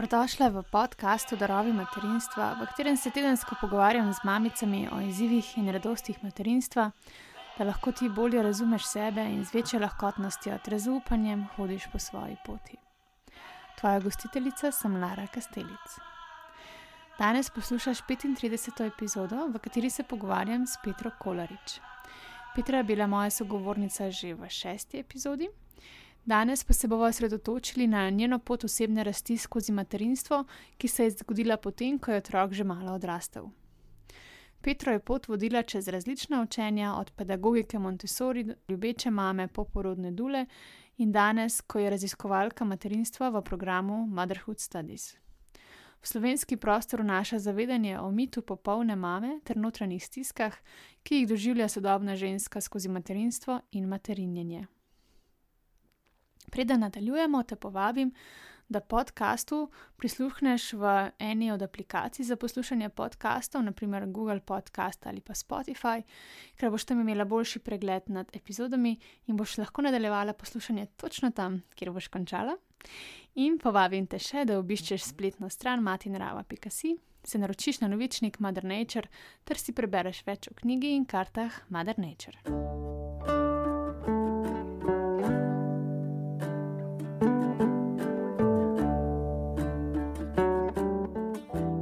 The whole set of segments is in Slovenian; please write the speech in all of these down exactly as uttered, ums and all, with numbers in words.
Dobrodošla v podkastu Darovi materinstva, v katerem se tedensko pogovarjam z mamicami o izzivih in radostih materinstva, da lahko ti bolje razumeš sebe in z večjo lahkotnostjo ter zaupanjem hodiš po svoji poti. Tvoja gostiteljica sem Lara Kastelic. Danes poslušaš petintrideseto epizodo, v kateri se pogovarjam s Petro Kolarič. Petra je bila moja sogovornica že v šesti epizodi. Danes pa se bomo osredotočili na njeno pot osebne rasti skozi materinstvo, ki se je zgodila potem, ko je otrok že malo odrastel. Petro je pot vodila čez različna učenja, od pedagogike Montessori, ljubeče mame, poporodne dule in danes, ko je raziskovalka materinstva v programu Motherhood Studies. V slovenski prostor vnaša zavedanje o mitu popolne mame ter notranjih stiskah, ki jih doživlja sodobna ženska skozi materinstvo in materinjenje. Preden nadaljujemo, te povabim, da podcastu prisluhneš v eni od aplikacij za poslušanje podcastov, naprimer Google Podcast ali pa Spotify, ker boš tam imela boljši pregled nad epizodami in boš lahko nadaljevala poslušanje točno tam, kjer boš končala. In povabim te še, da obiščeš spletno stran matinarava pika si, se naročiš na novičnik Mother Nature ter si prebereš več o knjigi in kartah Mother Nature.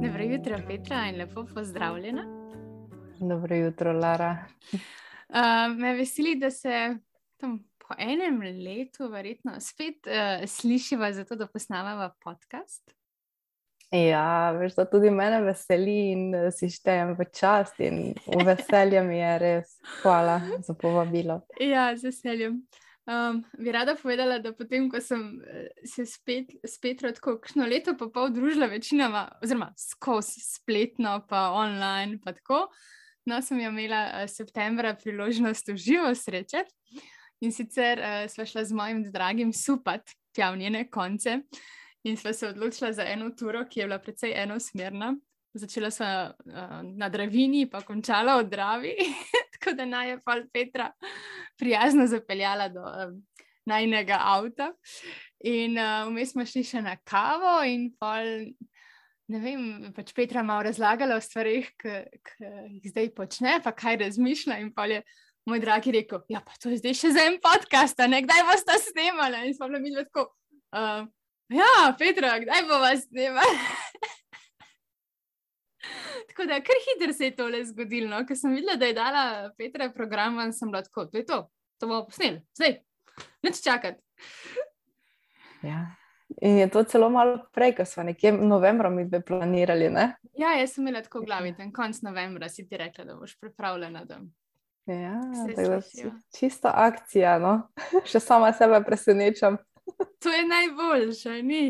Dobro jutro, Petra, in lepo pozdravljena. Dobro jutro, Lara. Uh, me veseli, da se tam po enem letu verjetno spet uh, slišiva za to, da posnamava podcast. Ja, veš, da tudi mene veseli in si štejem v čast in v veselje mi je res. Hvala za povabilo. Ja, z veseljem. Um, bi rada povedala, da potem, ko sem se spet, spet tako kakšno leto pa pol družila večinoma, oziroma skozi spletno pa online pa tako, no, sem jo imela uh, septembra priložnost v živo srečati in sicer uh, sva šla z mojim dragim supat tja v njene konce in sva se odločila za eno turo, ki je bila precej enosmerna. Začela sva uh, na Dravini pa končala v Dravi, tako da naj je pol Petra prijazno zapeljala do um, najinega avta. In uh, vmes smo šli še na kavo in pol, ne vem, pač Petra malo razlagala o stvarih, ki jih zdaj počne, pa kaj razmišlja in pol je moj dragi rekel, ja pa to je zdaj še za en podcast, a ne, kdaj boste snemala? In smo bila midva tako, uh, ja, Petra, kdaj bova snemala? Tako da, kar hitro se je tole zgodilo, no? Ko sem videla, da je dala Petra program, sem bila tako, to je to, to bomo posneli, zdaj, nič čakati. Ja, in je to celo malo prej, ko smo nekje novembra mi dve planirali, ne? Ja, jaz sem imela tako v glavi, ten konc novembra si ti rekla, da boš pripravljena, da ja, se tako slišijo. Čista akcija, no, še sama sebe presenečam. To je najboljše, ni?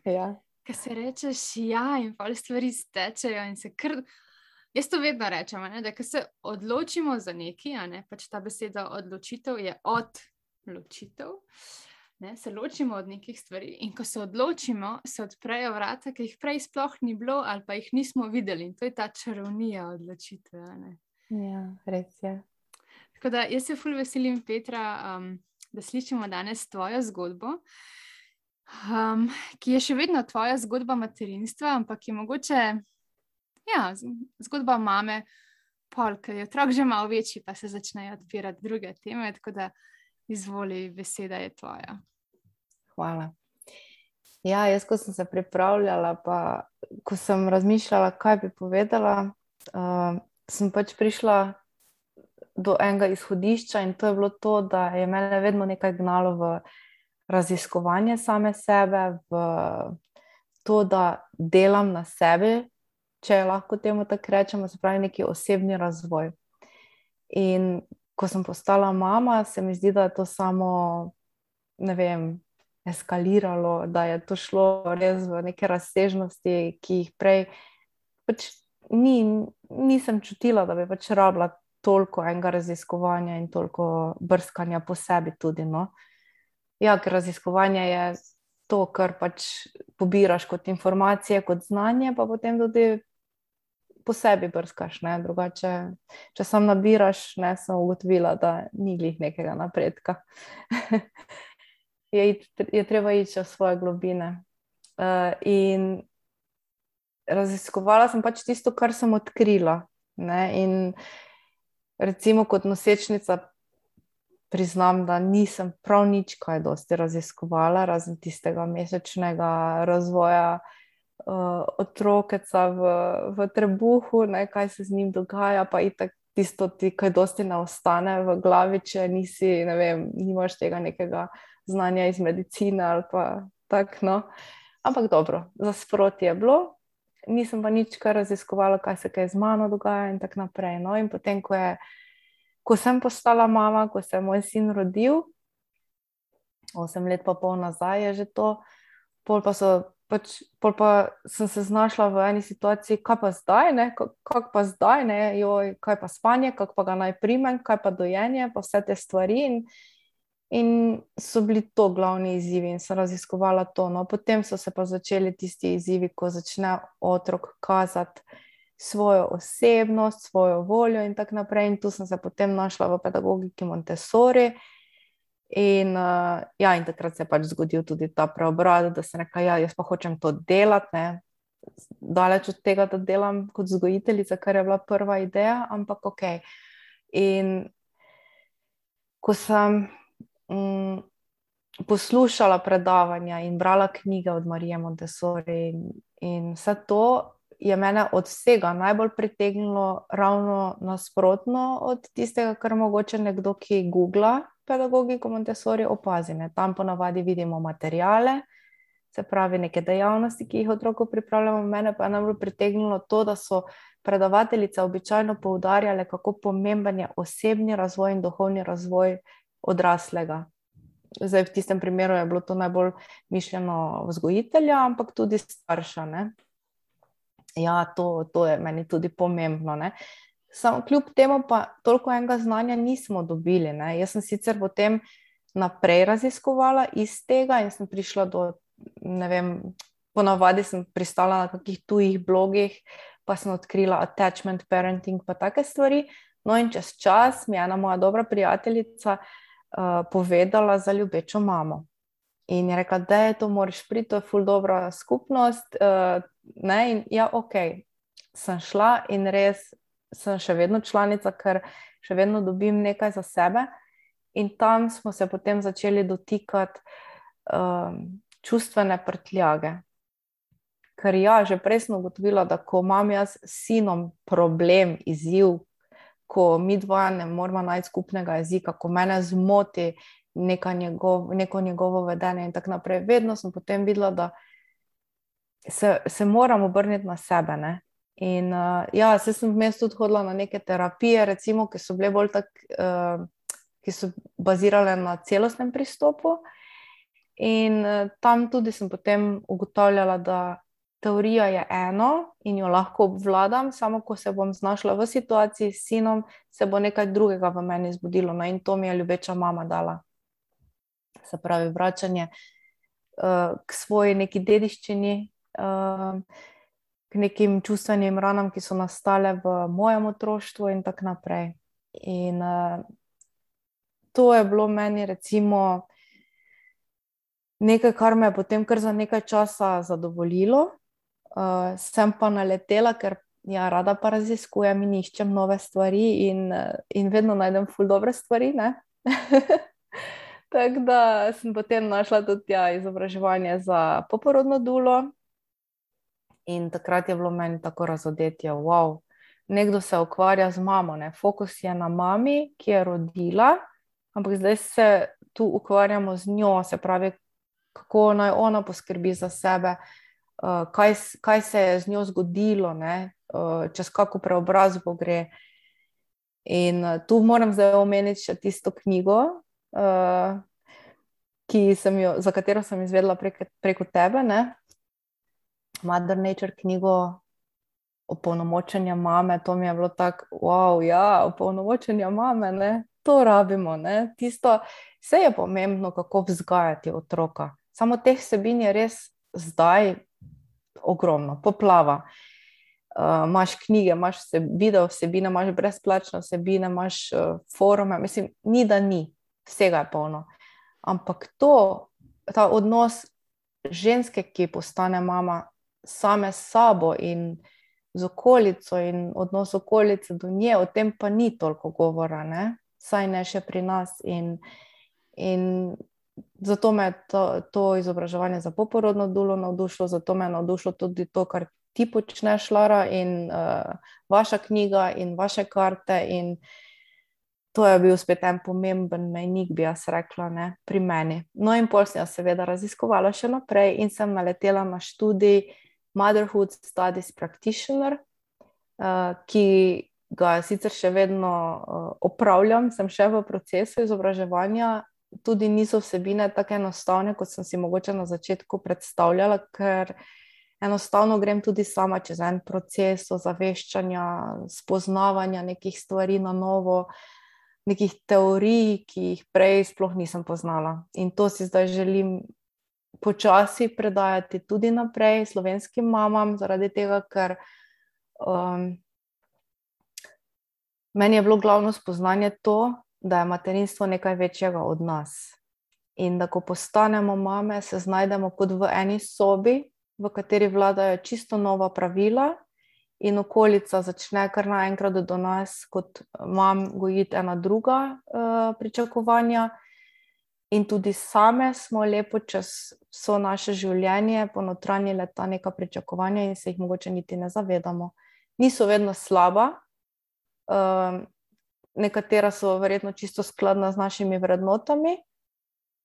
Ja. Ko se rečeš ja in pol stvari stečejo in se kar, jaz to vedno rečem, ne, da ko se odločimo za nekaj, a ne, pač ta beseda odločitev je odločitev, ne, se ločimo od nekih stvari in ko se odločimo, se odprejo vrata, ki jih prej sploh ni bilo ali pa jih nismo videli in to je ta čarovnija odločitve, a ne. Ja, res je. Tako da jaz se ful veselim, Petra, um, da slišimo danes tvojo zgodbo, Um, ki je še vedno tvoja zgodba materinstva, ampak je mogoče ja, zgodba mame, pol, ker je otrok že malo večji, pa se začnejo odpirati druge teme, tako da izvoli, beseda je tvoja. Hvala. Ja, jaz, ko sem se pripravljala, pa ko sem razmišljala, kaj bi povedala, uh, sem pač prišla do enega izhodišča in to je bilo to, da je mene vedno nekaj gnalo v raziskovanje same sebe, v to, da delam na sebi, če lahko temu tako rečemo, se pravi neki osebni razvoj. In ko sem postala mama, se mi zdi, da je to samo, ne vem, eskaliralo, da je to šlo res v neke razsežnosti, ki jih prej pač ni, nisem čutila, da bi pač rabila toliko enega raziskovanja in toliko brskanja po sebi tudi, no. Ja, ker raziskovanje je to, kar pač pobiraš kot informacije, kot znanje, pa potem tudi po sebi brskaš, ne, drugače, če sam nabiraš, ne, sem ugotovila, da ni glih nekega napredka. je, je treba iti v svoje globine. Uh, in raziskovala sem pač tisto, kar sem odkrila. Ne? In recimo kot nosečnica priznam, da nisem prav nič kaj dosti raziskovala, razen tistega mesečnega razvoja uh, otrokeca v, v trebuhu, ne? Kaj se z njim dogaja, pa itak tisto ti kaj dosti ne ostane v glavi, če nisi, ne vem, nimaš tega nekega znanja iz medicine ali pa tak, no. Ampak dobro, za sproti je bilo, nisem pa nič kar raziskovala, kaj se kaj z mano dogaja in tako naprej. No, in potem, ko je, ko sem postala mama, ko se je moj sin rodil, osem let pa pol nazaj je že to, pol pa so, pač, pol pa sem se znašla v eni situaciji, kaj pa zdaj, ne, kako pa zdaj, ne, joj, kaj pa spanje, kako pa ga naj primem, kaj pa dojenje, pa vse te stvari in In so bili to glavni izzivi in sem raziskovala to. No, potem so se pa začeli tisti izzivi, ko začne otrok kazati svojo osebnost, svojo voljo in tako naprej. In tu sem se potem našla v pedagogiki Montessori. In, uh, ja, in takrat se je pač zgodil tudi ta preobrat, da sem rekla, ja, jaz pa hočem to delati, ne. Daleč od tega, da delam kot vzgojiteljica, kar je bila prva ideja, ampak ok. In ko sem Um, poslušala predavanja in brala knjige od Marije Montessori in, in vse to je mene od vsega najbolj pritegnilo ravno nasprotno od tistega, kar mogoče nekdo, ki googla pedagogiko Montessori, opazi. Ne? Tam ponavadi vidimo materijale, se pravi neke dejavnosti, ki jih otroku pripravljamo. Mene pa je najbolj pritegnilo to, da so predavateljice običajno poudarjale, kako pomemben je osebni razvoj in duhovni razvoj odraslega. Zdaj, v tistem primeru je bilo to najbolj mišljeno vzgojitelja, ampak tudi starša. Ne? Ja, to, to je meni tudi pomembno. Ne? Samo kljub temu pa toliko enega znanja nismo dobili. Ne? Jaz sem sicer potem naprej raziskovala iz tega in sem prišla do, ne vem, ponavadi sem pristala na kakih tujih blogih, pa sem odkrila attachment parenting pa take stvari. No in čez čas mi je ena moja dobra prijateljica Uh, povedala za ljubečo mamo. In je rekla, da je to moraš priti, to je ful dobra skupnost. Uh, ne? In ja, ok, sem šla in res sem še vedno članica, ker še vedno dobim nekaj za sebe. In tam smo se potem začeli dotikati um, čustvene prtljage. Ker ja, že prej sem ugotovila, da ko imam jaz s sinom problem, izziv, ko mi dva ne moramo najti skupnega jezika, ko mene zmoti neka njegov, neko njegovo vedenje in tako naprej, vedno sem potem videla, da se, se moram obrniti na sebe. Ne? In uh, ja, se sem vmes tudi hodila na neke terapije, recimo, ki so bile bolj tak, uh, ki so bazirale na celostnem pristopu. In uh, tam tudi sem potem ugotavljala, da teorija je eno in jo lahko obvladam, samo ko se bom znašla v situaciji s sinom, se bo nekaj drugega v meni zbudilo. No, in to mi je ljubeča mama dala. Se pravi, vračanje uh, k svoji neki dediščini, uh, k nekim čustvenim ranam, ki so nastale v mojem otroštvu in tako naprej. In uh, to je bilo meni recimo nekaj, kar me je potem kar za nekaj časa zadovoljilo. Uh, sem pa naletela, ker ja, rada pa raziskujem in iščem nove stvari in, in vedno najdem ful dobre stvari, ne? Tako da sem potem našla tudi ja, izobraževanje za poporodno dulo in takrat je bilo meni tako razodetje, wow, nekdo se ukvarja z mamo, ne? Fokus je na mami, ki je rodila, ampak zdaj se tu ukvarjamo z njo, se pravi, kako naj ona poskrbi za sebe, Uh, kaj, kaj se je z njo zgodilo, ne? Uh, čez kako preobrazbo gre. In uh, tu moram zdaj omeniti še tisto knjigo, uh, ki sem jo, za katero sem izvedela prek, preko tebe, ne? Mother Nature knjigo opolnomočenja mame, to mi je bilo tako, wow, ja, opolnomočenja mame, ne? To rabimo, ne? Tisto, vse je pomembno, kako vzgajati otroka. Samo teh vsebin je res zdaj ogromno, poplava. Uh, imaš knjige, imaš vse, video vsebine, imaš brezplačne vsebine, imaš uh, forume, mislim, ni da ni, vsega je polno. Ampak to, ta odnos ženske, ki postane mama, same s sabo in z okolico in odnos okolice do nje, o tem pa ni toliko govora, ne? Saj ne še pri nas. In, in zato me je to, to izobraževanje za poporodno dulo navdušilo, zato me je navdušilo tudi to, kar ti počneš, Lara, in uh, vaša knjiga in vaše karte, in to je bil spet en pomemben mejnik, bi jaz rekla, ne, pri meni. No in pol sem jaz seveda raziskovala še naprej in sem naletela na študij Motherhood Studies Practitioner, uh, ki ga sicer še vedno uh, opravljam, sem še v procesu izobraževanja, tudi niso vsebine tako enostavne, kot sem si mogoče na začetku predstavljala, ker enostavno grem tudi sama čez en proces ozaveščanja, spoznavanja nekih stvari na novo, nekih teorij, ki jih prej sploh nisem poznala. In to si zdaj želim počasi predajati tudi naprej slovenskim mamam, zaradi tega, ker um, meni je bilo glavno spoznanje to, da je materinstvo nekaj večjega od nas. In da ko postanemo mame, se znajdemo kot v eni sobi, v kateri vladajo čisto nova pravila in okolica začne kar naenkrat do nas kot mam gojiti ena druga uh, pričakovanja. In tudi same smo lepo čez vso naše življenje ponotranjile ta neka pričakovanja in se jih mogoče niti ne zavedamo. Niso vedno slaba, uh, nekatera so verjetno čisto skladna z našimi vrednotami,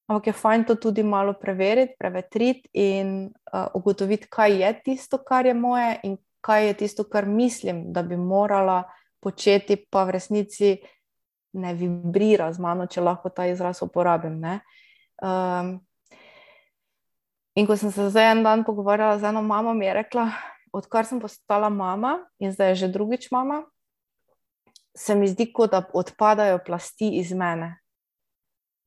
ampak je fajn to tudi malo preveriti, prevetriti in uh, ugotoviti, kaj je tisto, kar je moje in kaj je tisto, kar mislim, da bi morala početi, pa v resnici ne vibrira z mano, če lahko ta izraz uporabim. Ne? Um, in ko sem se zdaj en dan pogovarjala z eno mamo, mi je rekla, odkar sem postala mama in zdaj je že drugič mama, se mi zdi, kot da odpadajo plasti iz mene,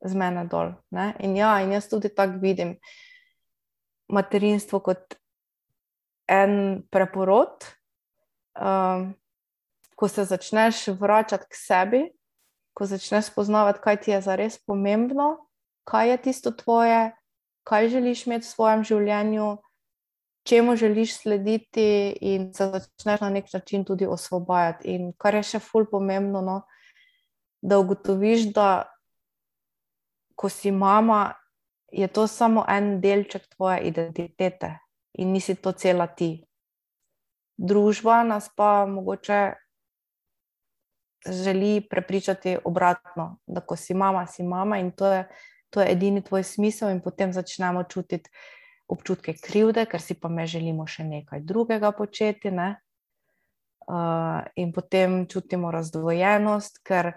z mene dol. Ne? In ja, in jaz tudi tako vidim materinstvo kot en preporod, um, ko se začneš vračati k sebi, ko začneš spoznavati, kaj ti je zares pomembno, kaj je tisto tvoje, kaj želiš imeti v svojem življenju, čemu želiš slediti in se začneš na nek način tudi osvobajati. In kar je še ful pomembno, no, da ugotoviš, da ko si mama, je to samo en delček tvoje identitete in nisi to cela ti. Družba nas pa mogoče želi prepričati obratno, da ko si mama, si mama in to je, to je edini tvoj smisel in potem začnemo čutiti občutke krivde, ker si pa me želimo še nekaj drugega početi, ne? Uh, in potem čutimo razdvojenost, ker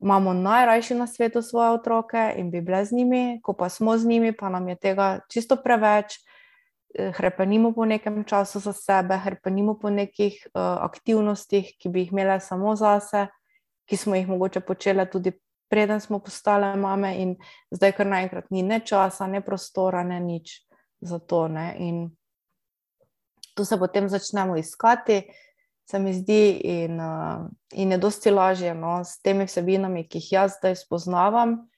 imamo najrajši na svetu svoje otroke in bi bile z njimi, ko pa smo z njimi, pa nam je tega čisto preveč, hrepenimo po nekem času za sebe, hrepenimo po nekih uh, aktivnostih, ki bi jih imele samo zase, ki smo jih mogoče počele tudi preden smo postale mame in zdaj kar naenkrat ni ne časa, ne prostora, ne nič za to. Ne? In tu se potem začnemo iskati, se mi zdi, in, uh, in je dosti lažje, no, s temi vsebinami, ki jih jaz zdaj spoznavam,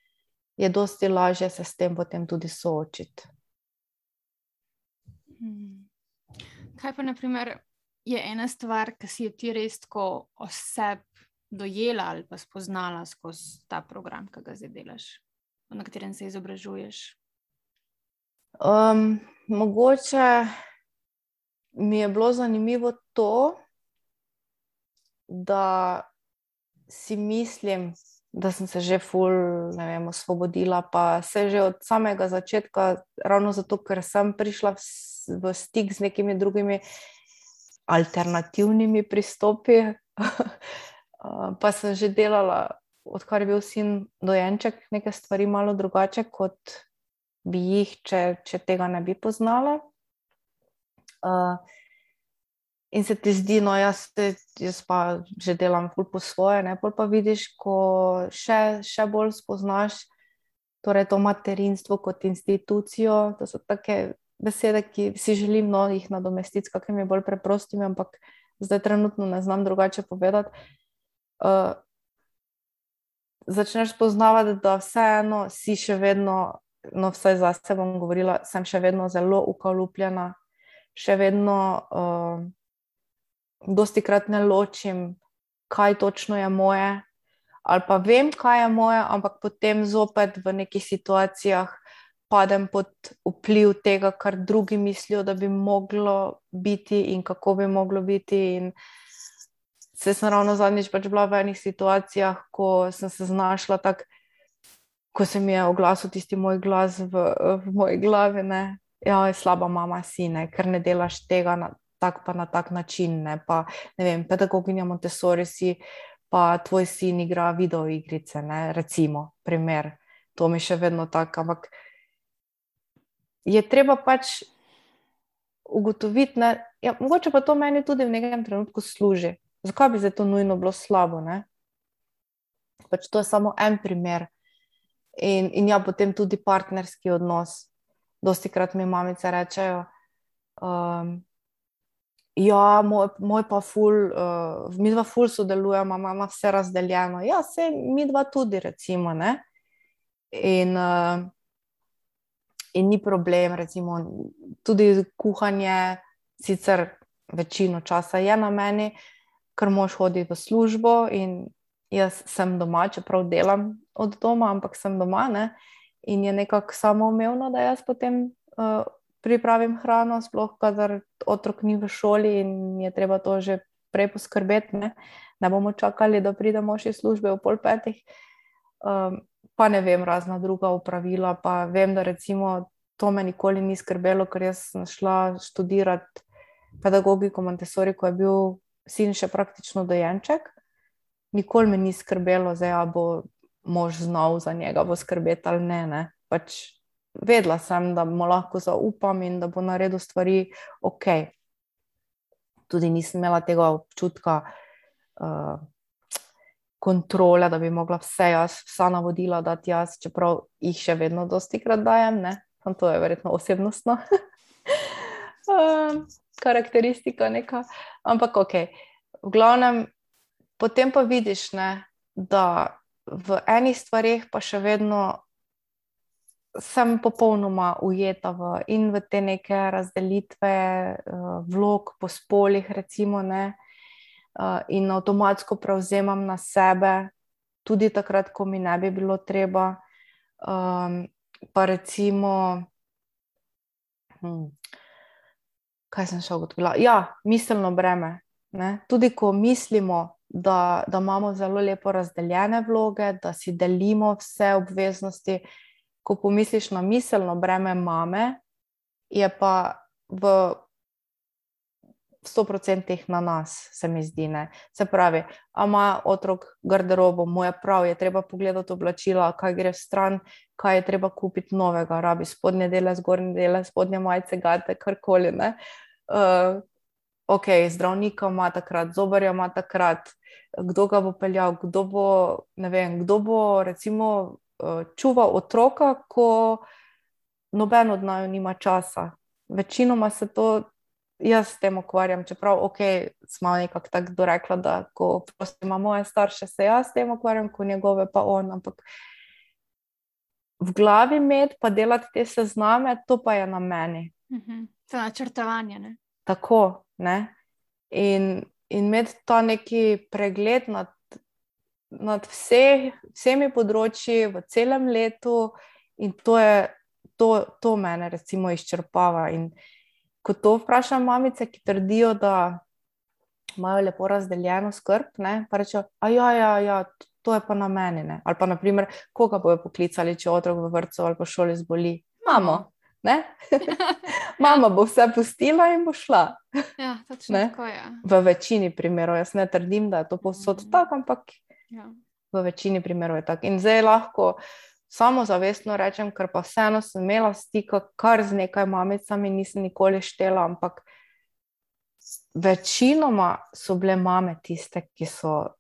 je dosti lažje se s tem potem tudi soočiti. Kaj pa, na primer, je ena stvar, ki si jo ti res tako oseb dojela ali pa spoznala skozi ta program, ki ga zdaj delaš, na katerem se izobražuješ? Um, mogoče mi je bilo zanimivo to, da si mislim, da sem se že ful, ne vem, osvobodila, pa se že od samega začetka, ravno zato, ker sem prišla v, v stik z nekimi drugimi alternativnimi pristopi, pa sem že delala, odkar je bil sin dojenček, neke stvari malo drugače, kot bi jih, če, če tega ne bi poznala. Uh, In se ti zdi, no jaz, jaz pa že delam ful po svoje, ne, pol pa vidiš, ko še, še bolj spoznaš torej to materinstvo kot institucijo, to so take besede, ki si želim, no, jih nadomestiti s kakimi bolj preprostimi, ampak zdaj trenutno ne znam drugače povedati. Uh, začneš spoznavati, da vseeno si še vedno no vsaj zase bom govorila, sem še vedno zelo ukalupljena, še vedno uh, dosti krat ne ločim, kaj točno je moje, ali pa vem, kaj je moje, ampak potem zopet v nekih situacijah padem pod vpliv tega, kar drugi mislijo, da bi moglo biti in kako bi moglo biti. In se sem ravno zadnjič pač bila v enih situacijah, ko sem se znašla tako, ko se mi je oglasil tisti moj glas v, v moji glavi, ne, ja, slaba mama si, ne, ker ne delaš tega na tak pa na tak način, ne, pa ne vem, pedagoginja Montessori si, pa tvoj sin igra videoigrice, ne, recimo, primer, to mi še vedno tako, ampak je treba pač ugotoviti, ne, ja, mogoče pa to meni tudi v nekem trenutku služi. Zakaj bi zdaj to nujno bilo slabo, ne? Pač to je samo en primer. In, in ja, potem tudi partnerski odnos. Dostikrat mi mamice rečejo, um, ja, moj, moj pa ful, uh, mi dva ful sodelujemo, mama vse razdeljeno. Ja, se mi dva tudi, recimo, ne? In, uh, in ni problem, recimo, tudi kuhanje, sicer večino časa je na meni, ker mož hodi v službo in jaz sem doma, čeprav delam od doma, ampak sem doma, ne? In je nekako samoumevno, da jaz potem uh, pripravim hrano, sploh kadar otrok ni v šoli in je treba to že prej poskrbeti, ne, ne bomo čakali, da pride mož iz službe v pol petih, um, pa ne vem, razna druga opravila, pa vem, da recimo to me nikoli ni skrbelo, ker jaz sem šla študirati pedagogiko Montessori, ko je bil sin še praktično dojenček, nikoli me ni skrbelo, zdaj ja bo mož znal za njega bo skrbeti ali ne, ne, pač vedela sem, da mu lahko zaupam in da bo naredil stvari ok. Tudi nisem imela tega občutka uh, kontrole, da bi mogla vse jaz, vsa navodila dati jaz, čeprav jih še vedno dostikrat dajem, ne, to je verjetno osebnostno uh, karakteristika neka, ampak ok. V glavnem, potem pa vidiš, ne, da v enih stvareh pa še vedno sem popolnoma ujeta v, in v te neke razdelitve uh, vlog po spolih, recimo, ne, uh, in avtomatsko prevzemam na sebe, tudi takrat, ko mi ne bi bilo treba, um, pa recimo, hm, kaj sem še ugotovila? Ja, miselno breme, ne, tudi ko mislimo, da, da imamo zelo lepo razdeljene vloge, da si delimo vse obveznosti, ko pomisliš na miselno breme mame, je pa v sto procentih na nas, se mi zdi, ne. Se pravi, a ima otrok garderobo, mu je prav, je treba pogledati oblačila, kaj gre stran, kaj je treba kupiti novega, rabi spodnje dele, zgornje dele, spodnje majice, gate, karkoli, ne. Uh, ok, zdravnika ima takrat, zobarja ima takrat, kdo ga bo peljal, kdo bo, ne vem, kdo bo recimo čuval otroka, ko noben od naju nima časa. Večinoma se to jaz s tem ukvarjam, čeprav ok, smo nekako tako dorekla, da ko ima moje starše, se jaz s tem ukvarjam, ko njegove pa on, ampak v glavi imeti pa delati te sezname, to pa je na meni. Mhm. To je načrtovanje, ne? Tako, ne. In, in imeti ta neki pregled nad nad vse, vsemi področji v celem letu in to je, to, to mene recimo izčrpava. In ko to vprašam mamice, ki trdijo, da imajo lepo razdeljeno skrb, ne, pa rečejo, a ja, ja, ja, to je pa na meni, ne. Ali pa na primer, koga bojo poklicali, če otrok v vrtcu ali pa šoli zboli? Mamo, ne. Mama bo vse pustila in bo šla. Ja, točno tako je. V večini primerov, jaz ne trdim, da je to povsod mm. tako, ampak ja. V večini primerov je tako. In zdaj lahko samozavestno rečem, ker pa vseeno sem imela stika kar z nekaj mamicami, nisem nikoli štela, ampak večinoma so bile mame tiste, ki so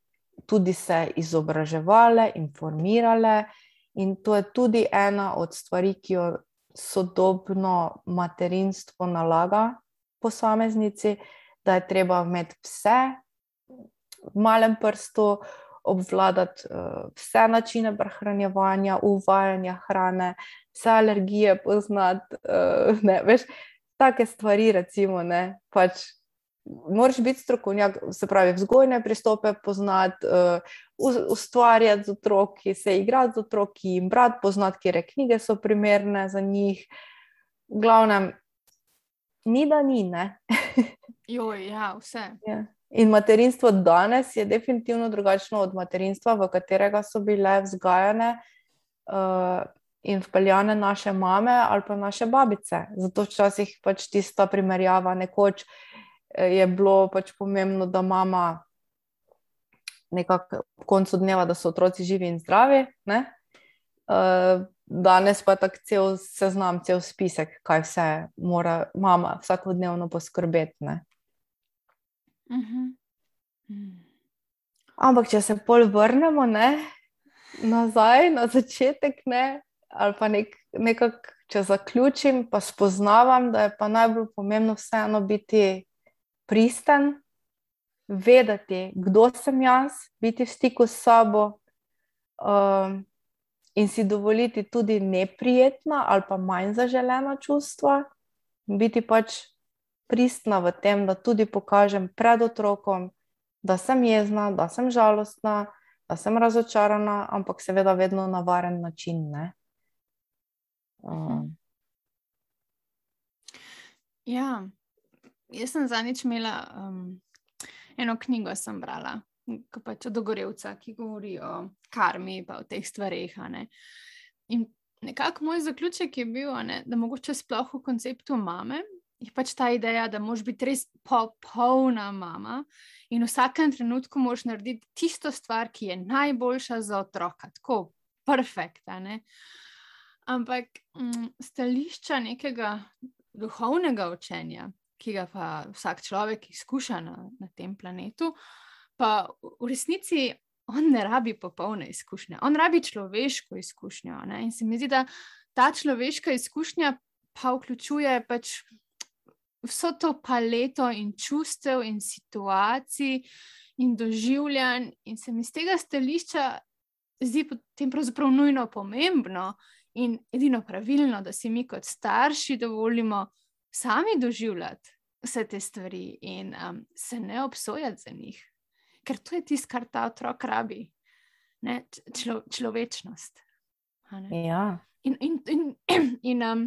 tudi se izobraževale, informirale in to je tudi ena od stvari, ki jo sodobno materinstvo nalaga posameznici, da je treba imeti vse v malem prstu, obvladati uh, vse načine prehranjevanja, uvajanja hrane, vse alergije poznati, uh, ne, veš, take stvari recimo, ne, pač moraš biti strokovnjak, se pravi, vzgojne pristope poznati, uh, ustvarjati z otroki, se igrati z otroki, jim brati, poznati, kire knjige so primerne za njih. V glavnem, ni da ni, ne. Joj, ja, vse. Ja. In materinstvo danes je definitivno drugačno od materinstva, v katerega so bile vzgajane uh, in vpeljane naše mame ali pa naše babice. Zato včasih pač tista primerjava, nekoč je bilo pač pomembno, da mama nekako v koncu dneva, da so otroci živi in zdravi, ne? Uh, danes pa tak cel seznam, cel spisek, kaj vse mora mama vsakodnevno poskrbeti, ne? Uh-huh. Hmm. Ampak, če se pol vrnemo, ne, nazaj, na začetek, ne, ali pa nek, nekako, če zaključim, pa spoznavam, da je pa najbolj pomembno vseeno biti pristen, vedeti, kdo sem jaz, biti v stiku s sabo um, in si dovoliti tudi neprijetna ali pa manj zaželena čustva, biti pač pristna v tem, da tudi pokažem pred otrokom, da sem jezna, da sem žalostna, da sem razočarana, ampak seveda vedno na varen način, ne. Um. Ja, jaz sem zadnjič imela um, eno knjigo sem brala, ko pač od Ogorevca, ki govori o karmi pa o teh stvareh, a ne. In nekako moj zaključek je bil, a ne, da mogoče sploh v konceptu mame je pač ta ideja, da moraš biti res popolna mama in v vsakem trenutku moraš narediti tisto stvar, ki je najboljša za otroka, tako perfekt, a ne. Ampak m, stališča nekega duhovnega učenja, ki ga pa vsak človek izkuša na, na tem planetu, pa v resnici on ne rabi popolne izkušnje, on rabi človeško izkušnjo, ne? In se mi zdi, da ta človeška izkušnja pa vključuje pač vso to paleto in čustev in situacij in doživljanj in se mi z tega stališča zdi potem pravzaprav nujno pomembno in edino pravilno, da si mi kot starši dovolimo sami doživljati vse te stvari in um, se ne obsojati za njih. Ker to je tisto, kar ta otrok rabi. Ne? Člo, človečnost. Ja. In, in, in, in um,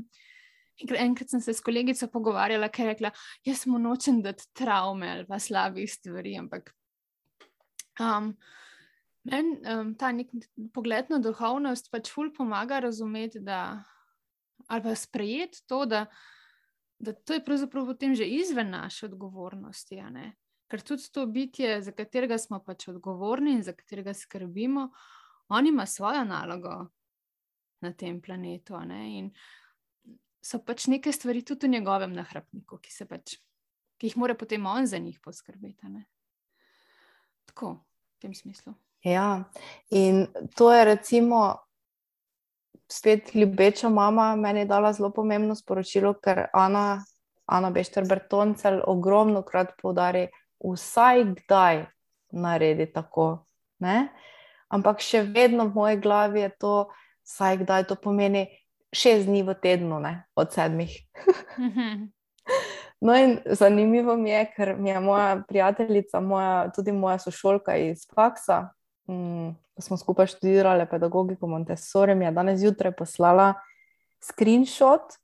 enkrat sem se s kolegico pogovarjala, ker je rekla, jaz mu nočem dati travme ali pa slabih stvari, ampak um, meni um, ta nek pogled na duhovnost pač ful pomaga razumeti, da, ali pa sprejeti to, da, da to je pravzaprav potem že izven naše odgovornosti, a ne? Ker tudi to bitje, za katerega smo pač odgovorni in za katerega skrbimo, on ima svojo nalogo na tem planetu, a ne? In so pač neke stvari tudi v njegovem nahrapniku, ki se pač, ki jih mora potem on za njih poskrbeti, a ne? Tako, v tem smislu. Ja, in to je recimo spet ljubeča mama meni dala zelo pomembno sporočilo, ker Ana, Ana Bešter-Bertoncelj ogromno krat poudari, vsaj kdaj naredi tako, ne? Ampak še vedno v moji glavi je to, vsaj kdaj, to pomeni šest dni v tednu, ne? Od sedmih. No in zanimivo mi je, ker mi je moja prijateljica, moja, tudi moja sošolka iz faksa, mm, smo skupaj študirali pedagogiko Montessori, mi je danes zjutraj poslala screenshot,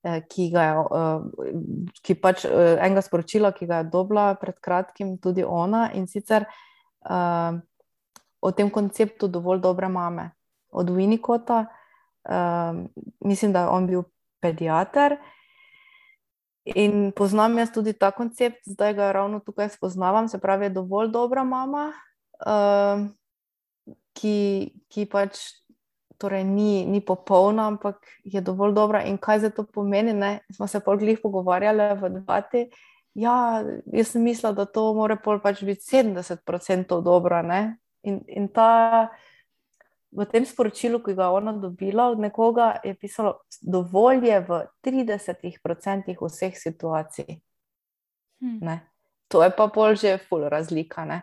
ki ga je, ki pač enega sporočila, ki ga je dobila pred kratkim tudi ona, in sicer uh, o tem konceptu dovolj dobre mame od Winnicotta. Uh, mislim, da je on bil pediater in poznam jaz tudi ta koncept, zdaj ga ravno tukaj spoznavam, se pravi dovolj dobra mama, uh, ki, ki pač torej ni, ni popolna, ampak je dovolj dobra. In kaj zdaj to pomeni, ne? Smo se pol glih pogovarjali v debati. Ja, jaz sem mislila, da to mora pol pač biti sedemdeset procentov dobra, ne? In, in ta, v tem sporočilu, ki ga ona dobila od nekoga, je pisalo, dovolj je v tridesetih procentih vseh situacij. Hmm. Ne? To je pa pol že ful razlika, ne?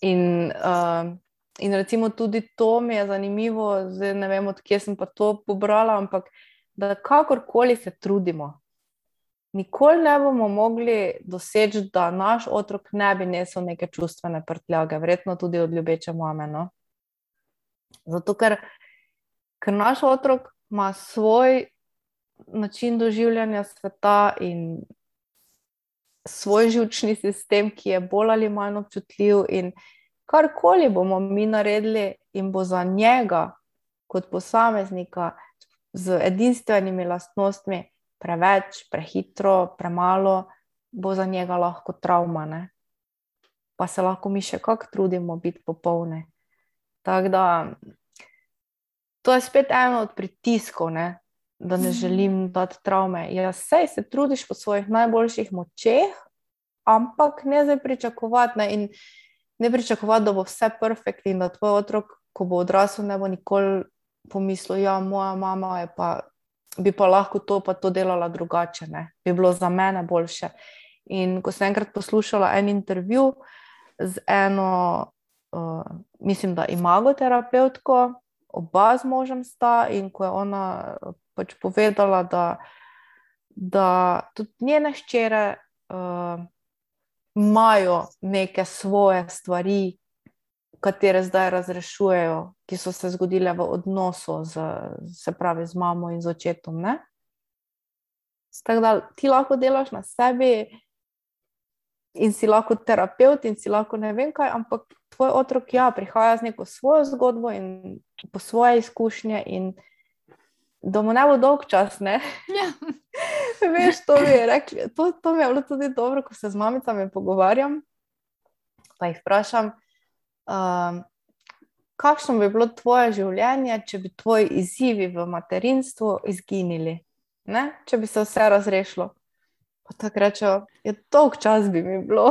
In, uh, in recimo tudi to mi je zanimivo, zdaj ne vem, od kje sem pa to pobrala, ampak da kakorkoli se trudimo, nikoli ne bomo mogli doseči, da naš otrok ne bi nesel neke čustvene prtljage, verjetno tudi od ljubeče mame. No? Zato, ker, ker naš otrok ima svoj način doživljanja sveta in svoj živčni sistem, ki je bolj ali manj občutljiv, in karkoli bomo mi naredili in bo za njega kot posameznika z edinstvenimi lastnostmi preveč, prehitro, premalo, bo za njega lahko travma, ne? Pa se lahko mi še kako trudimo biti popolni. Tako da to je spet eno od pritiskov, ne? Da ne želim dati travme. Ja, sej se trudiš po svojih najboljših močeh, ampak ne zdaj pričakovati, ne? In ne pričakovati, da bo vse perfekt in da tvoj otrok, ko bo odrasel, ne bo nikoli pomislil, ja, moja mama je pa, bi pa lahko to pa to delala drugače, ne? Bi bilo za mene boljše. In ko sem enkrat poslušala en intervju z eno, uh, mislim, da imagoterapevtko, oba z možem sta, in ko je ona pač povedala, da, da tudi njene hčere uh, imajo neke svoje stvari, katere zdaj razrešujejo, ki so se zgodile v odnosu z, se pravi, z mamo in z očetom, ne? Tako da ti lahko delaš na sebi in si lahko terapeut in si lahko ne vem kaj, ampak tvoj otrok, ja, prihaja z neko svojo zgodbo in po svoje izkušnje in da mu ne bo dolg čas, ne? Ja. Veš, to mi je rekli, to, to mi je bilo tudi dobro, ko se z mamicami pogovarjam, pa jih vprašam, um, kakšno bi bilo tvoje življenje, če bi tvoji izzivi v materinstvu izginili, ne? Če bi se vse razrešilo. Pa tako rečejo, je dolg čas bi mi bilo.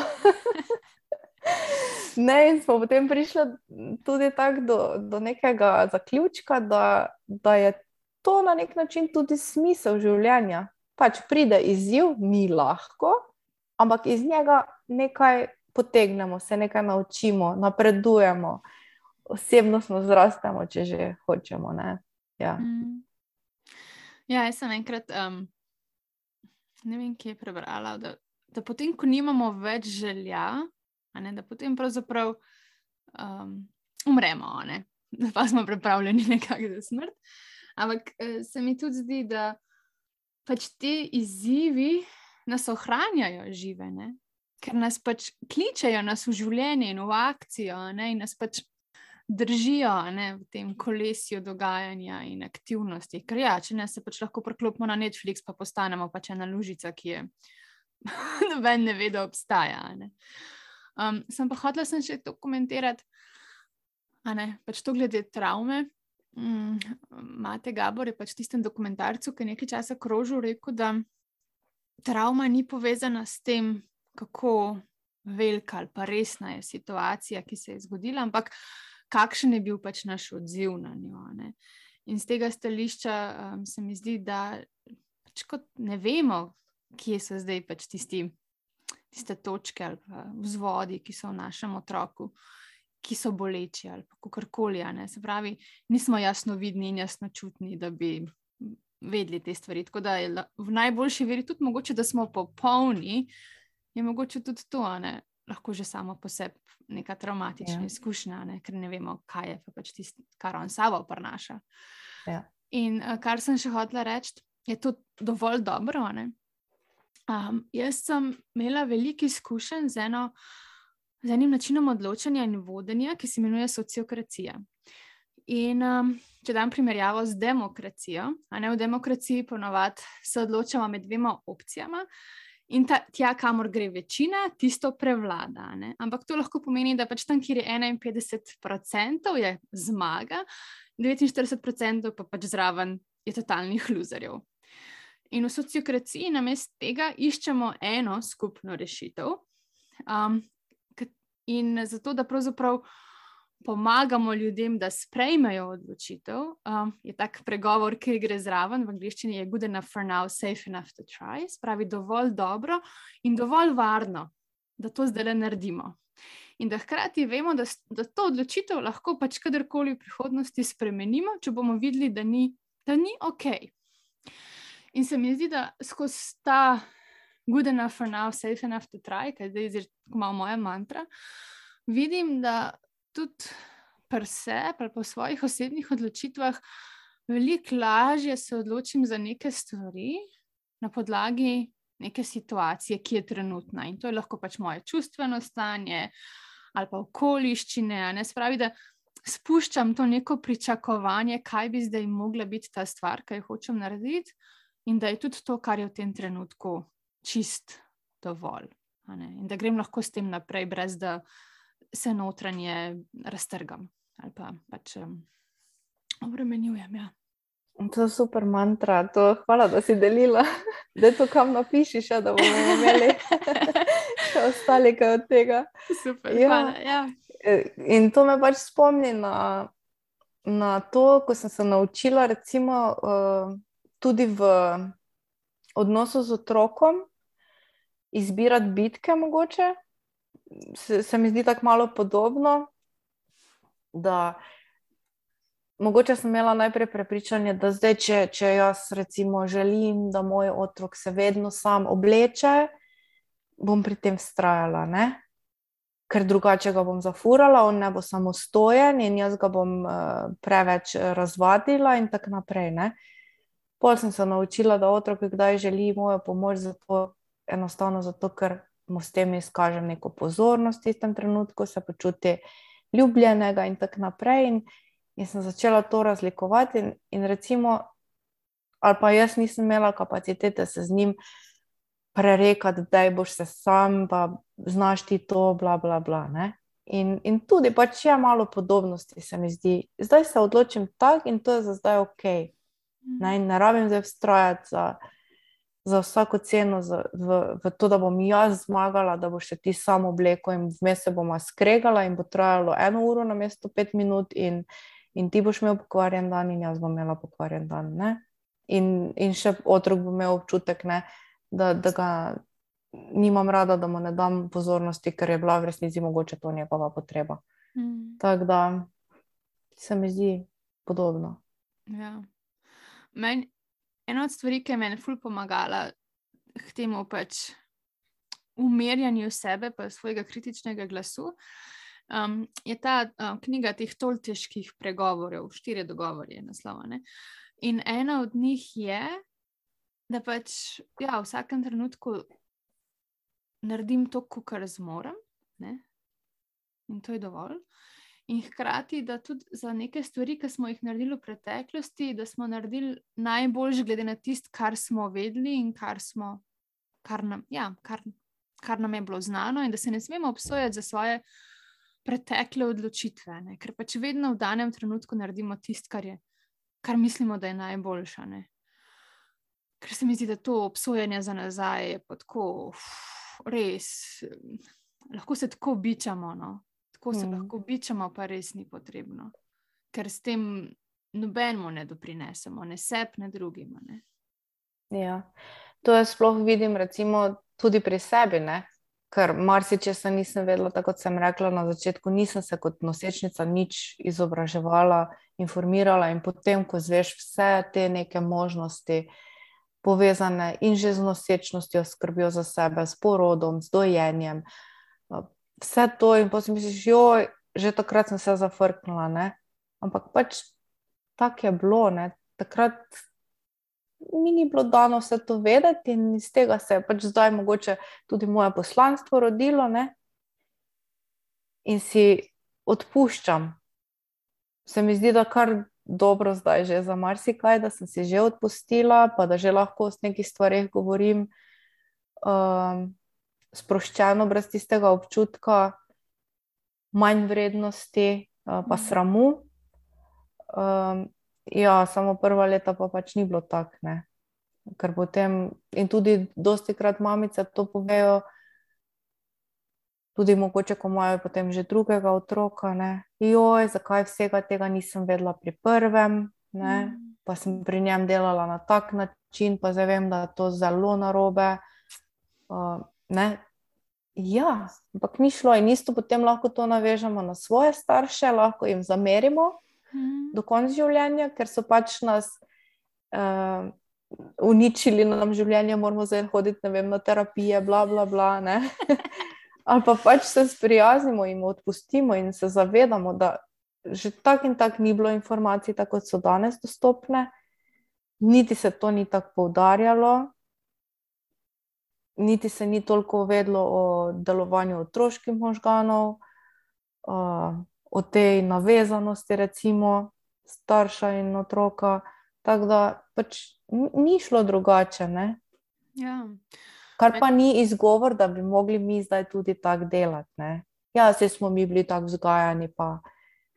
Ne, in smo potem prišli tudi tako do, do nekega zaključka, da, da je to na nek način tudi smisel življenja. Pač pride izziv, mi lahko, ampak iz njega nekaj potegnemo, se nekaj naučimo, napredujemo, osebnostno zrastemo, če že hočemo, ne? Ja. Mm. Ja, jaz sem enkrat, um, ne vem, kje je prebrala, da, da potem, ko nimamo več želja, a ne, da potem pravzaprav um, umremo, ne? Da pa smo pripravljeni nekako za smrt. Ampak uh, se mi tudi zdi, da pač te izzivi nas ohranjajo žive, ne? Ker nas pač kličejo nas v življenje in v akcijo, ne? In nas pač držijo, ne? V tem kolesju dogajanja in aktivnosti. Ker ja, če ne se pač lahko preklopimo na Netflix, pa postanemo pač ena lužica, ki je noben ne ve, da obstaja. Ne? Um, sem pa hotela sem še to komentirati, a ne, pač to glede travme. Mm, Mate Gabor je pač v tistem dokumentarcu, ki je nekaj časa krožil, rekel, da travma ni povezana s tem, kako velika ali pa resna je situacija, ki se je zgodila, ampak kakšen je bil pač naš odziv na njo. Ne? In z tega stališča um, se mi zdi, da pač kot ne vemo, kje so zdaj pač tisti, tiste točke ali pa vzvodi, ki so v našem otroku, ki so boleči ali pa kakorkoli, ne? Se pravi, nismo jasno vidni in jasno čutni, da bi vedeli te stvari. Tako da je v najboljši veri tudi mogoče, da smo popolni, je mogoče tudi to, ne? Lahko že samo po sebi neka travmatična ja. izkušnja, ne? Ker ne vemo, kaj je pa pač tisto, kar on sabo prinaša. Ja. In kar sem še hotela reči, je to dovolj dobro, ne? Um, jaz sem imela veliko izkušenj z eno z enim načinom odločanja in vodenja, ki se imenuje sociokracija. In um, če dam primerjavo z demokracijo, a ne, v demokraciji ponovadi se odločamo med dvema opcijama in ta, tja, kamor gre večina, tisto prevlada. Ne? Ampak to lahko pomeni, da pač tam, kjer je enainpetdeset procentov je zmaga, devetinštirideset procentov pa pač zraven je totalnih luzerjev. In v sociokraciji namesto tega iščemo eno skupno rešitev, um, in zato, da pravzaprav pomagamo ljudem, da sprejmejo odločitev, um, je tak pregovor, ki gre zraven, v angleščini je good enough for now, safe enough to try, spravi dovolj dobro in dovolj varno, da to zdaj le naredimo. In da hkrati vemo, da, da to odločitev lahko pač kadarkoli v prihodnosti spremenimo, če bomo videli, da ni, da ni ok. In se mi zdi, da skozi ta good enough for now, safe enough to try, kaj zdaj je malo moja mantra, vidim, da tudi pri sebi ali po svojih osebnih odločitvah veliko lažje se odločim za neke stvari na podlagi neke situacije, ki je trenutna. In to je lahko pač moje čustveno stanje ali pa okoliščine. Ne spravi, da spuščam to neko pričakovanje, kaj bi zdaj mogla biti ta stvar, kaj hočem narediti, in da je tudi to, kar je v tem trenutku čist dovolj. In da grem lahko s tem naprej, brez da se notranje raztrgam ali pa pač um, obremenjujem. Ja. To je super mantra, to hvala, da si delila. Da to kam napišiš, da bomo imeli še ostali kaj od tega. Super, ja. Hvala, ja. In to me pač spomni na, na to, ko sem se naučila recimo uh, tudi v odnosu z otrokom izbirati bitke mogoče. Se, se mi zdi tako malo podobno, da mogoče sem imela najprej prepričanje, da zdaj, če, če jaz recimo želim, da moj otrok se vedno sam obleče, bom pri tem vztrajala, ne? Ker drugače ga bom zafurala, on ne bo samostojen in jaz ga bom uh, preveč razvadila in tako naprej, ne? Pol sem se naučila, da otrok kdaj želi mojo pomoč, zato, enostavno zato, ker mu s tem izkažem neko pozornost v tistem trenutku, se počuti ljubljenega in tako naprej. In In sem začela to razlikovati in, in recimo, ali pa jaz nisem imela kapacitete se z njim prerekati, da boš se sam, pa znaš ti to, bla, bla, bla, ne. In, in tudi pač je malo podobnosti, se mi zdi. Zdaj se odločim tak in to je za zdaj ok. Ne, in ne rabim zdaj vztrajati za, za vsako ceno, za, v, v to, da bom jaz zmagala, da boš se ti sam oblekel in vmes se bomo skregala in bo trajalo eno uro namesto pet minut in In ti boš imel pokvarjen dan in jaz bom imela pokvarjen dan, ne? In, in še otrok bo imel občutek, ne, da, da ga nimam rada, da mu ne dam pozornosti, ker je bila v resnici mogoče to njegova potreba. Mm. Tako da se mi zdi podobno. Ja. Meni, ena od stvari, ki je meni ful pomagala k temu pač umirjanju sebe pa svojega kritičnega glasu, Um, je ta um, knjiga teh tolteških pregovorov, štiri dogovori je naslova, ne? In ena od njih je, da pač ja, v vsakem trenutku naredim to, kar zmorem, ne? In to je dovolj. In hkrati, da tudi za neke stvari, ki smo jih naredili v preteklosti, da smo naredili najboljš glede na tisto, kar smo vedeli in kar smo, kar nam, ja, kar, kar nam je bilo znano, in da se ne smemo obsojati za svoje pretekle odločitve, ne? Ker pač vedno v danem trenutku naredimo tisto, kar je, kar mislimo, da je najboljša, ne? Ker se mi zdi, da to obsojanje za nazaj je pa tako, uf, res, lahko se tako bičamo, no? Tako se mm. lahko bičamo, pa res ni potrebno. Ker s tem nobenemu ne doprinesemo, ne sebi, ne drugima, ne? Ja, to jaz sploh vidim recimo tudi pri sebi, ne? Ker marsičesa nisem vedela, tako kot sem rekla na začetku, nisem se kot nosečnica nič izobraževala, informirala in potem, ko zveš vse te neke možnosti povezane in že z nosečnostjo, skrbijo za sebe, s porodom, s dojenjem, vse to in potem misliš, joj, že takrat sem se zafrknila, ne? Ampak pač tako je bilo, ne? Takrat mi ni bilo dano vse to vedeti in iz tega se je pač zdaj mogoče tudi moje poslanstvo rodilo, ne? In si odpuščam. Se mi zdi, da kar dobro zdaj že za marsikaj, da sem si že odpustila, pa da že lahko o nekih stvareh govorim um, sproščeno, brez tistega občutka manj vrednosti, uh, pa sramu. Um, Ja, samo prva leta pa pač ni bilo tak, ne. Ker potem, in tudi dostikrat mamice to povejo, tudi mogoče, ko imajo potem že drugega otroka, ne. Joj, zakaj vsega tega nisem vedela pri prvem, ne. Pa sem pri njem delala na tak način, pa zdaj vem, da je to zelo narobe. Uh, ne. Ja, ampak ni šlo in isto potem lahko to navežemo na svoje starše, lahko jim zamerimo Mm. do konca življenja, ker so pač nas uh, uničili nam življenje, moramo zdaj hoditi, ne vem, na terapije, bla, bla, bla, ne. Ali pa pač se sprijaznimo in odpustimo in se zavedamo, da že tak in tak ni bilo informacij, tako kot so danes dostopne, niti se to ni tako poudarjalo, niti se ni toliko vedlo o delovanju otroških možganov, o tej navezanosti, recimo, starša in otroka, tako da pač ni šlo drugače, ne? Ja. Kar pa ni izgovor, da bi mogli mi zdaj tudi tako delati, ne? Ja, saj smo mi bili tako vzgajani, pa,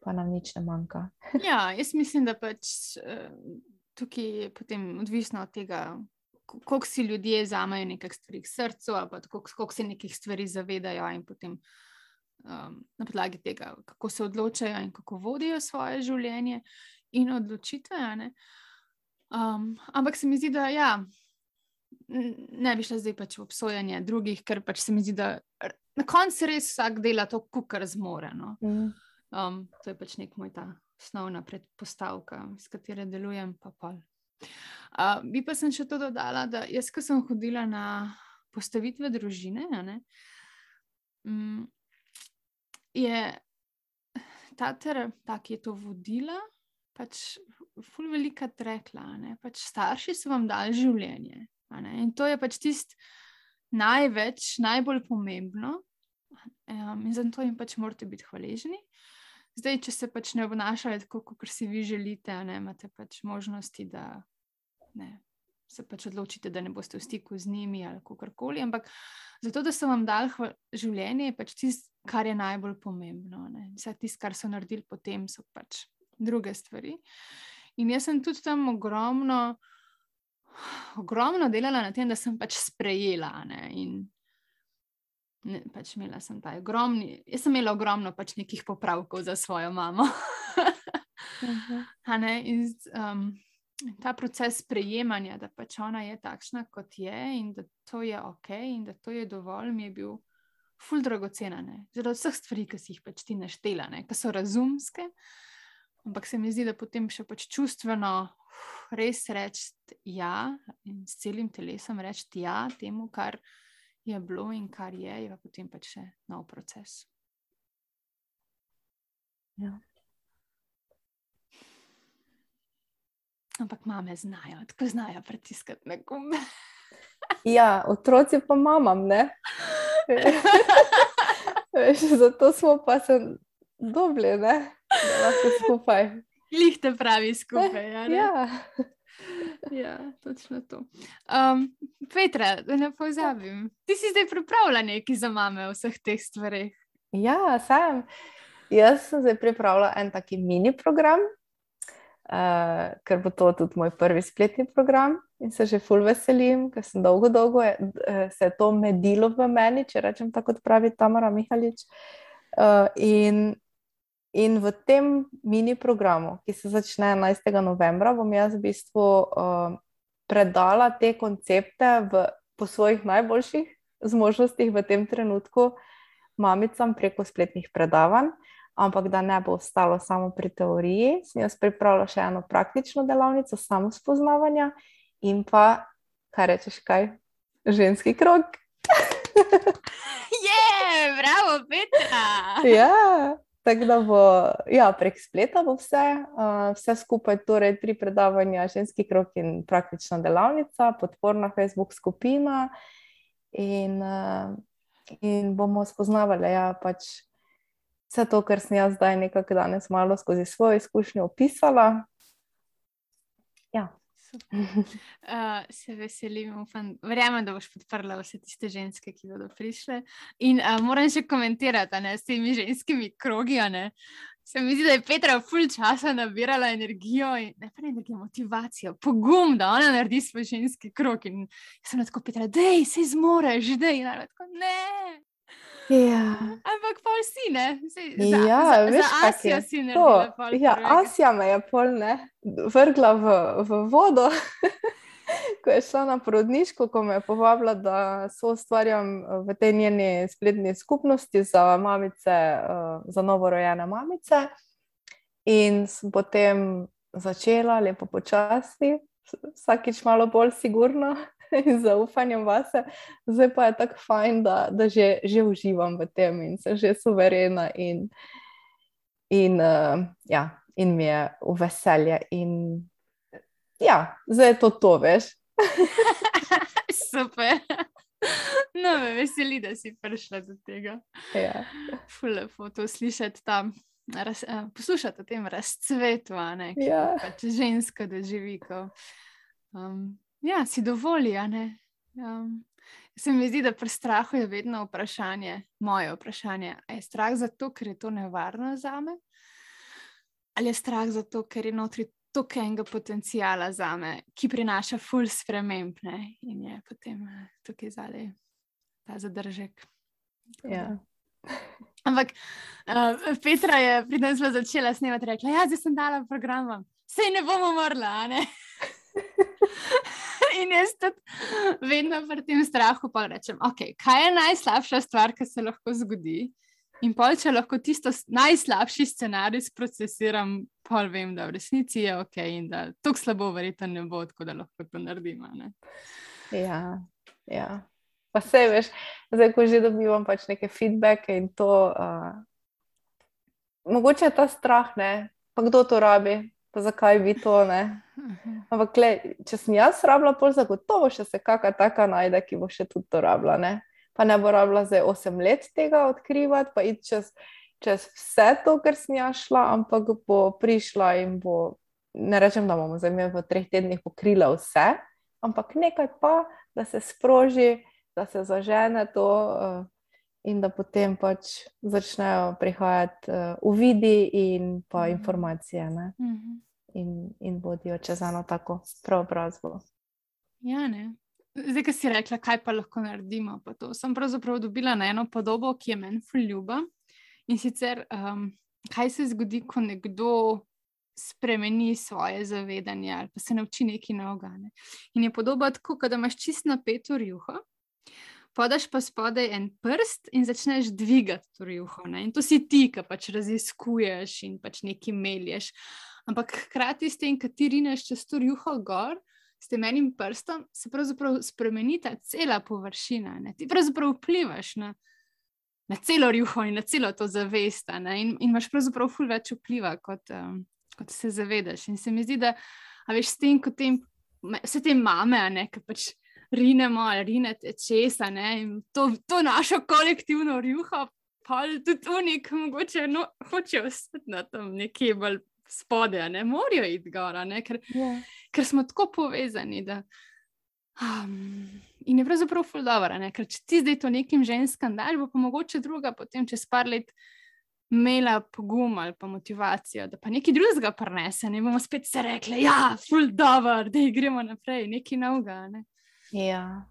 pa nam nič ne manjka. Ja, jaz mislim, da pač tukaj je potem odvisno od tega, koliko si ljudje vzamejo nekaj stvari k srcu, ali pa koliko se nekih stvari zavedajo in potem um, na podlagi tega, kako se odločajo in kako vodijo svoje življenje in odločitve, ne? Um, ampak se mi zdi, da ja, ne bi šla zdaj pač v obsojanje drugih, ker pač se mi zdi, da na koncu res vsak dela to, kakor zmore, no. Mm. Um, to je pač nek moj ta osnovna predpostavka, s katere delujem, pa pol. Uh, bi pa sem še to dodala, da jaz, ko sem hodila na postavitve družine, ne, um, je ta ta, ki je to vodila, pač ful velikrat rekla, ne, pač starši so vam dali življenje, a ne, in to je pač tist največ, najbolj pomembno, um, in zato jim pač morate biti hvaležni. Zdaj, če se pač ne obnašajo tako, kot si vi želite, ne, imate pač možnosti, da ne, se pač odločite, da ne boste v stiku z njimi ali kakorkoli, ampak zato, da so vam dali hva- življenje, je pač tisto, kar je najbolj pomembno, ne. Vse tisto, kar so naredili potem, so pač druge stvari. In jaz sem tudi tam ogromno, ogromno delala na tem, da sem pač sprejela, ne, in ne, pač imela sem ta ogromni, jaz sem imela ogromno pač nekih popravkov za svojo mamo. Mhm. A ne, in um, ta proces sprejemanja, da pač ona je takšna, kot je in da to je okej in da to je dovolj, mi je bil ful dragocena, ne. Zaradi vseh stvari, ki si jih pač ti naštela, ne, ki so razumske, ampak se mi zdi, da potem še pač čustveno res reči ja in s celim telesom reči ja temu, kar je bilo in kar je, je pa potem pač še nov proces. Ja. Ampak mame znajo, tako znajo pritiskati na gumbe. Ja, otroci pa mamam, ne? Veš, zato smo pa se dobili, ne? Da lahko skupaj. Glih te pravi skupaj, ja, ne? Ja. Ja, točno to. Um, Petra, da ne pozabim, ti si zdaj pripravila nekaj za mame v vseh teh stvareh. Ja, sem. Jaz sem zdaj pripravila en taki mini program, uh, ker bo to tudi moj prvi spletni program in se že ful veselim, ker sem dolgo, dolgo je, uh, se je to medilo v meni, če rečem tako, kot pravi Tamara Mihalič. Uh, in In v tem mini programu, ki se začne enajstega novembra, bom jaz v bistvu uh, predala te koncepte v, po svojih najboljših zmožnostih v tem trenutku mamicam preko spletnih predavanj, ampak da ne bo ostalo samo pri teoriji, sem jaz pripravila še eno praktično delavnico samospoznavanja in pa, kaj rečeš, kaj? Ženski krog. Je, bravo, Petra! Ja. Tako da bo, ja, prek spleta bo vse, uh, vse skupaj, torej tri predavanja, ženski krog in praktična delavnica, podporna Facebook skupina in, uh, in bomo spoznavali, ja, pač vse to, kar sem jaz zdaj nekako danes malo skozi svojo izkušnjo opisala. Ja. Uh, se veselim, upam, verjamem, da boš podprla vse tiste ženske, ki bodo prišle. In uh, moram še komentirati, ne, s temi ženskimi krogi, ne. Se mi zdi, da je Petra ful časa nabirala energijo, in, ne pa ne energijo, motivacijo, pogum, da ona naredi svoj ženski krog. In sem tako, Petra, dej, sej zmoreš, dej. In ona tako, ne. Ja. Ampak pol si, ne? Sej, za, Ja, za, veš, za kak Asijo je si to. naredila pol Ja, prvega. Asija me je pol, ne, vrgla v, v vodo. ko je šla na porodniško, ko me je povabila, da soustvarjam v tej njeni spletni skupnosti za mamice, za novorojene mamice. In sem potem začela lepo počasi, vsakič malo bolj sigurno in zaupanjem vase. Zdaj pa je tako fajn, da, da že, že uživam v tem in sem že suverena in, in, uh, ja, in mi je v veselje. In ja, zdaj je to to, veš. Super. No, me veseli, da si prišla do tega. Ja. Ful lepo to slišati tam, raz, uh, poslušati o tem razcvetu, a ne, ki Ja. pač ženska doživi, ko um, ja, si dovoli, a ne. Um, se mi zdi, da pri strahu je vedno vprašanje, moje vprašanje, a je strah zato, ker je to nevarno zame? Ali je strah zato, ker je notri toliko enega potencijala zame, ki prinaša ful sprememb, ne, in je potem uh, tukaj zadaj ta zadržek. Ja. Ampak uh, Petra je pri nas začela snemati, rekla, ja, zdaj sem dala program, sej ne bomo umrla, a ne? In jaz tudi vedno pri tem strahu pa rečem, ok, kaj je najslabša stvar, ki se lahko zgodi? In pol, če lahko tisto najslabši scenarij sprocesiram, pol vem, da v resnici je ok in da tako slabo verjetno ne bo, tako da lahko to naredim, a ne? Ja, ja. Pa sej, veš, zdaj, ko že dobivam pač neke feedbacke in to, uh, mogoče je ta strah, ne, pa kdo to rabi, pa zakaj bi to, ne. Ampak, le, če sem jaz rabila, pol zagotovo še se kaka taka najde, ki bo še tudi to rabila, ne. Pa ne bo rabila zdaj osem let tega odkrivati, pa iti čez, čez vse to, kar sem jaz šla, ampak bo prišla in bo, ne rečem, da bomo zdaj v treh tednih pokrila vse, ampak nekaj pa, da se sproži, da se zažene to uh, in da potem pač začnejo prihajati uh, uvidi in pa Mhm. informacije, ne. Mhm. In, in vodijo čez eno tako preobrazbo. Ja, ne. Zdaj, ko si rekla, kaj pa lahko naredimo, pa to sem pravzaprav dobila na eno podobo, ki je meni ful ljuba. In sicer, um, kaj se zgodi, ko nekdo spremeni svoje zavedanje ali pa se nauči nekaj novega, ne. In je podoba tako, kot da imaš čisto napeto rjuho, podaš pa spodaj en prst in začneš dvigati to rjuho, ne. In to si ti, ki pač raziskuješ in pač nekaj melješ. Ampak hkrati s tem, ko ti rineš čez to rjuho gor, s tem enim prstom se pravzaprav spremeni ta cela površina, ne. Ti pravzaprav vplivaš na, na celo rjuho in na celo to zavest, ne. In, in imaš pravzaprav ful več vpliva, kot, um, kot se zavedaš. In se mi zdi, da, a veš, s tem, kot tem, vse te mame, a ne, ki pač rinemo ali rinete česa, ne, in to, to našo kolektivno rjuho, pa tudi unik, mogoče no, hočejo ostati na tam nekje bolj spode, ne, morajo iti gora, ne, ker, Ja. ker smo tako povezani, da um, in je pravzaprav ful dobro, ne, ker če ti zdaj to nekim ženskam daš, bo pa mogoče druga potem čez par let imela pogum ali pa motivacijo, da pa nekaj drugega prinese, ne bomo spet se rekli, ja, ful dobro, da gremo naprej, nekaj novega, ne. Ja,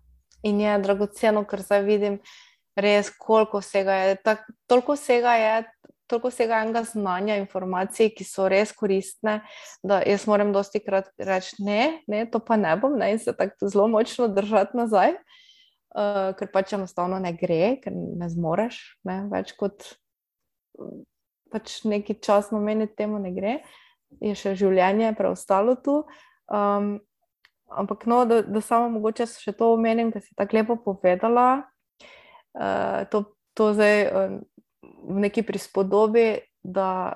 in je dragoceno, ker zdaj vidim res, koliko vsega je, tak, toliko vsega je, toliko vsega enega znanja, informacij, ki so res koristne, da jaz moram dosti krat reči, ne, ne, to pa ne bom, ne, in se tako zelo močno držati nazaj, uh, ker pač enostavno ne gre, ker ne zmoreš, ne, več kot pač neki čas nameniti temu ne gre, je še življenje preostalo tu. Um, ampak no, da, da samo mogoče še to omenim, ker si tako lepo povedala, uh, to, to zdaj uh, v neki prispodobi, da,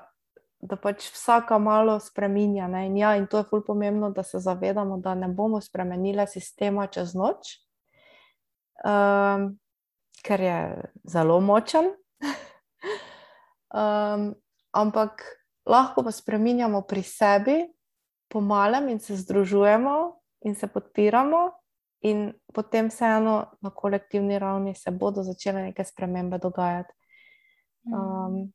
da pač vsaka malo spreminja, ne? In ja, in to je ful pomembno, da se zavedamo, da ne bomo spremenile sistema čez noč, um, ker je zelo močen, um, ampak lahko pa spreminjamo pri sebi po malem in se združujemo in se podpiramo in potem vseeno na kolektivni ravni se bodo začele neke spremembe dogajati. Um,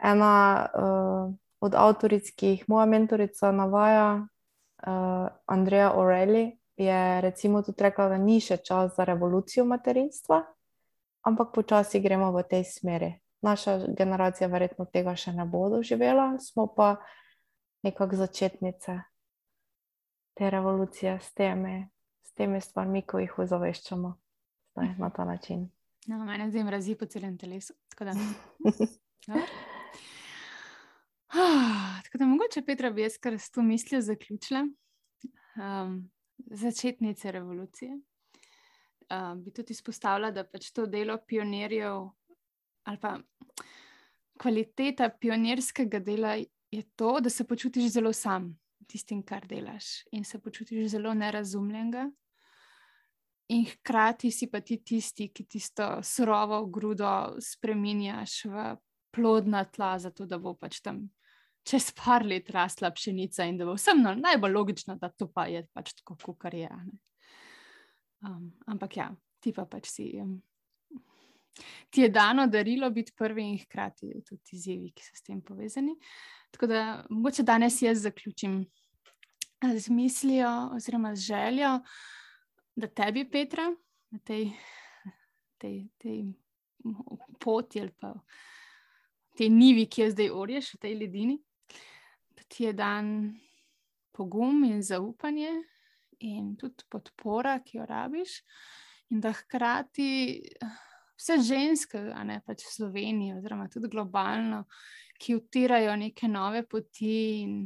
ena uh, od avtoric, ki jih moja mentorica navaja, uh, Andrea Orelli, je recimo tudi rekla, da ni še čas za revolucijo materinstva, ampak počasi gremo v tej smeri. Naša generacija verjetno tega še ne bo doživela, smo pa nekako začetnice. te revolucije s temi, s temi stvarmi, ko jih ozaveščamo zdaj na ta način. No, mene zdaj mrazi po celem telesu. Tako da, dobro. Ah, tako da mogoče, Petra, bi jaz kar s to mislijo zaključila. Um, začetnice revolucije. Um, bi tudi izpostavila, da pač to delo pionirjev ali pa kvaliteta pionirskega dela je to, da se počutiš zelo sam tistim, kar delaš, in se počutiš zelo nerazumljenega. In hkrati si pa ti tisti, ki tisto surovo grudo spreminjaš v plodna tla, zato da bo pač tam čez par let rasla pšenica in da bo vsem no, najbolj logično, da to pa je pač tako, kakor je. Um, ampak ja, ti pa pač si... Um, ti je dano darilo biti prvi in hkrati tudi izzivi, ki so s tem povezani. Tako da mogoče danes jaz zaključim z mislijo oziroma z željo, da tebi, Petra, na tej, tej, tej poti ali pa tej nivi, ki jo zdaj orješ v tej ledini, da ti je dan pogum in zaupanje in tudi podpora, ki jo rabiš, in da hkrati vse ženske, a ne pač v Sloveniji oziroma tudi globalno, ki utirajo neke nove poti in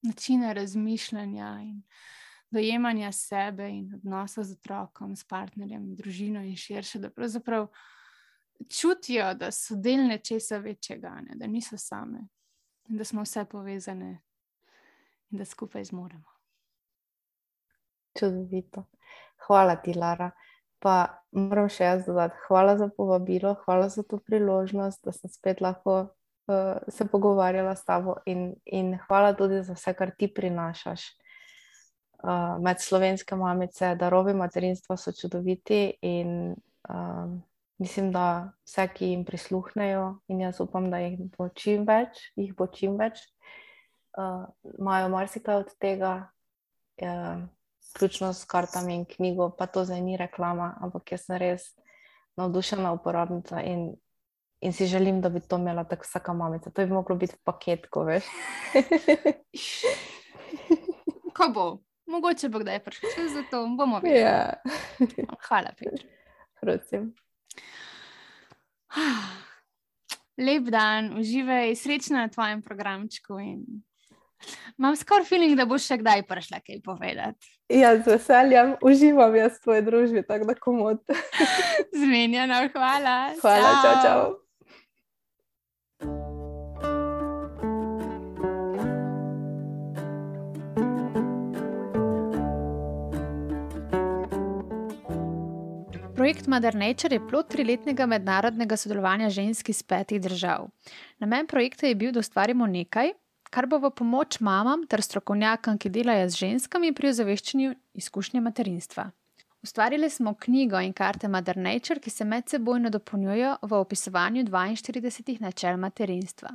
načine razmišljanja in dojemanja sebe in odnosa z otrokom, s partnerjem, družino in širše, da pravzaprav čutijo, da so del nečesa večjega, ne, da niso same, da smo vse povezane in da skupaj zmoremo. Čudovito. Hvala ti, Lara. Pa moram še jaz dodati, hvala za povabilo, hvala za to priložnost, da sem spet lahko uh, se pogovarjala s tabo in, in hvala tudi za vse, kar ti prinašaš. Uh, med slovenske mamice, darovi materinstva so čudoviti in uh, mislim, da vse, ki jim prisluhnejo, in jaz upam, da jih bo čim več, jih bo čim več, uh, imajo marsikaj od tega, uh, vključno s kartami in knjigo, pa to zdaj ni reklama, ampak jaz sem res navdušena uporabnica in, in si želim, da bi to imela tako vsaka mamica. To bi moglo biti v paketku, veš. Ko bo? Mogoče bo kdaj prišel čas za to, bomo videli. Ja. Hvala, Petra. Prosim. Lep dan, uživaj, srečno na tvojem programčku in imam skoraj feeling, da boš še kdaj prišla kaj povedati. Ja, z veseljem, uživam jaz v tvoji družbi, tako da komod. Zmenjeno, hvala. Hvala, čau, čau. Projekt Mother Nature je plod triletnega mednarodnega sodelovanja žensk iz petih držav. Namen projekta je bil, da ustvarimo nekaj, kar bo v pomoč mamam ter strokovnjakom, ki delajo z ženskami pri ozaveščanju izkušnje materinstva. Ustvarili smo knjigo in karte Mother Nature, ki se medsebojno dopolnjujejo v opisovanju dvainštiridesetih načel materinstva.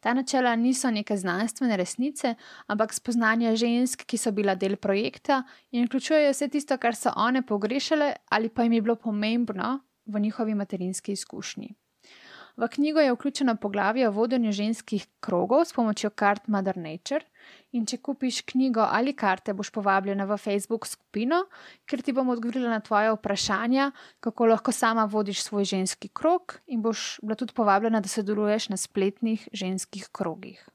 Ta načela niso neke znanstvene resnice, ampak spoznanja žensk, ki so bila del projekta in vključujejo vse tisto, kar so one pogrešale ali pa jim je bilo pomembno v njihovi materinski izkušnji. V knjigo je vključeno poglavje o vodenju ženskih krogov s pomočjo kart Mother Nature in če kupiš knjigo ali karte, boš povabljena v Facebook skupino, kjer ti bom odgovorila na tvoje vprašanja, kako lahko sama vodiš svoj ženski krog in boš bila tudi povabljena, da sodeluješ na spletnih ženskih krogih.